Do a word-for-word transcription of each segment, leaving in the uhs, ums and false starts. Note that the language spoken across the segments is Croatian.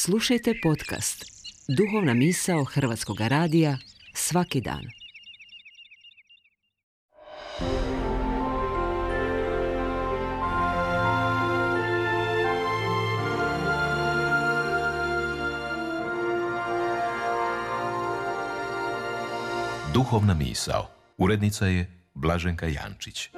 Slušajte podcast Duhovna misao Hrvatskog radija svaki dan. Duhovna misao. Urednica je Blaženka Jančić.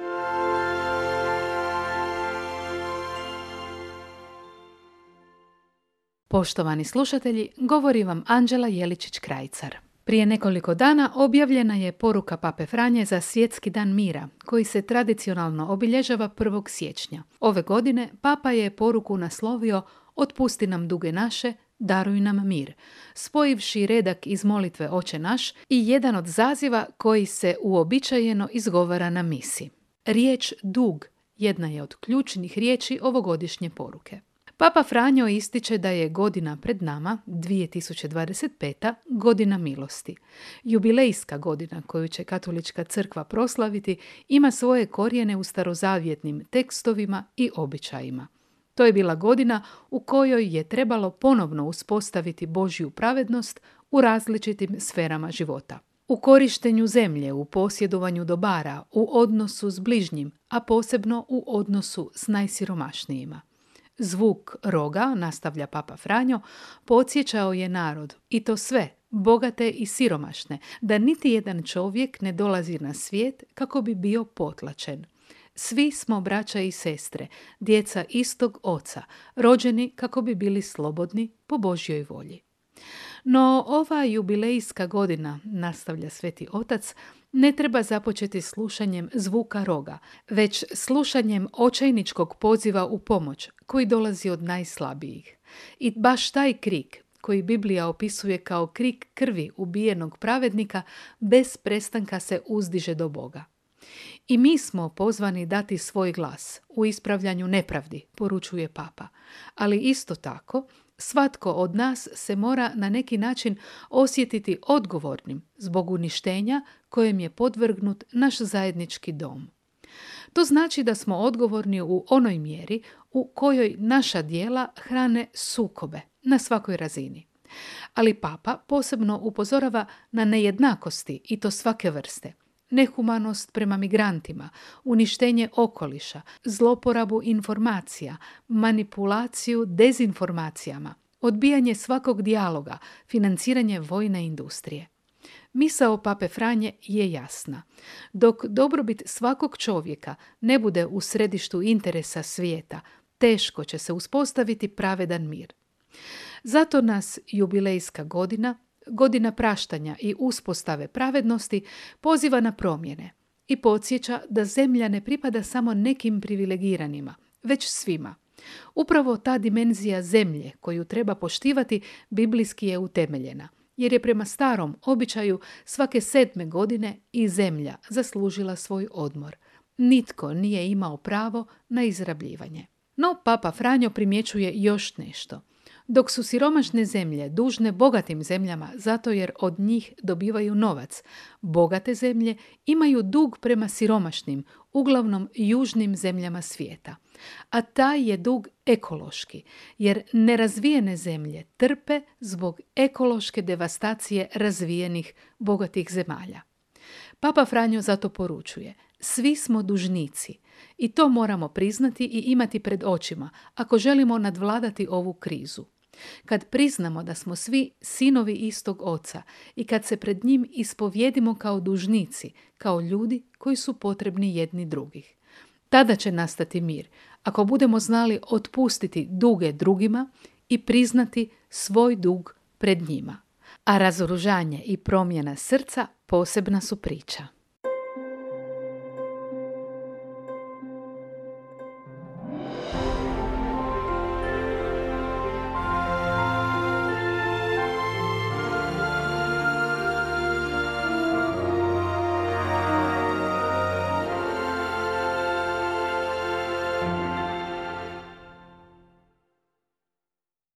Poštovani slušatelji, govori vam Anđela Jeličić-Krajcar. Prije nekoliko dana objavljena je poruka Pape Franje za Svjetski dan mira, koji se tradicionalno obilježava prvog siječnja. Ove godine Papa je poruku naslovio Otpusti nam duge naše, daruj nam mir, spojivši redak iz molitve Oče naš i jedan od zaziva koji se uobičajeno izgovara na misi. Riječ dug jedna je od ključnih riječi ovogodišnje poruke. Papa Franjo ističe da je godina pred nama, dvije tisuće dvadeset peta, godina milosti. Jubilejska godina koju će Katolička crkva proslaviti ima svoje korijene u starozavjetnim tekstovima i običajima. To je bila godina u kojoj je trebalo ponovno uspostaviti Božju pravednost u različitim sferama života. U korištenju zemlje, u posjedovanju dobara, u odnosu s bližnjim, a posebno u odnosu s najsiromašnijima. Zvuk roga, nastavlja Papa Franjo, podsjećao je narod, i to sve, bogate i siromašne, da niti jedan čovjek ne dolazi na svijet kako bi bio potlačen. Svi smo braća i sestre, djeca istog oca, rođeni kako bi bili slobodni po Božjoj volji. No ova jubilejska godina, nastavlja Sveti Otac, ne treba započeti slušanjem zvuka roga, već slušanjem očajničkog poziva u pomoć koji dolazi od najslabijih. I baš taj krik, koji Biblija opisuje kao krik krvi ubijenog pravednika, bez prestanka se uzdiže do Boga. I mi smo pozvani dati svoj glas u ispravljanju nepravdi, poručuje Papa, ali isto tako svatko od nas se mora na neki način osjetiti odgovornim zbog uništenja kojem je podvrgnut naš zajednički dom. To znači da smo odgovorni u onoj mjeri u kojoj naša djela hrane sukobe na svakoj razini. Ali Papa posebno upozorava na nejednakosti i to svake vrste. Nehumanost prema migrantima, uništenje okoliša, zloporabu informacija, manipulaciju dezinformacijama, odbijanje svakog dijaloga, financiranje vojne industrije. Misao Pape Franje je jasna. Dok dobrobit svakog čovjeka ne bude u središtu interesa svijeta, teško će se uspostaviti pravedan mir. Zato nas jubilejska godina, godina praštanja i uspostave pravednosti, poziva na promjene i podsjeća da zemlja ne pripada samo nekim privilegiranima, već svima. Upravo ta dimenzija zemlje koju treba poštivati biblijski je utemeljena, jer je prema starom običaju svake sedme godine i zemlja zaslužila svoj odmor. Nitko nije imao pravo na izrabljivanje. No, Papa Franjo primjećuje još nešto. Dok su siromašne zemlje dužne bogatim zemljama zato jer od njih dobivaju novac, bogate zemlje imaju dug prema siromašnim, uglavnom južnim zemljama svijeta. A taj je dug ekološki, jer nerazvijene zemlje trpe zbog ekološke devastacije razvijenih, bogatih zemalja. Papa Franjo zato poručuje: svi smo dužnici i to moramo priznati i imati pred očima ako želimo nadvladati ovu krizu. Kad priznamo da smo svi sinovi istog oca i kad se pred njim ispovjedimo kao dužnici, kao ljudi koji su potrebni jedni drugih. Tada će nastati mir, ako budemo znali otpustiti duge drugima i priznati svoj dug pred njima. A razoružanje i promjena srca posebna su priča.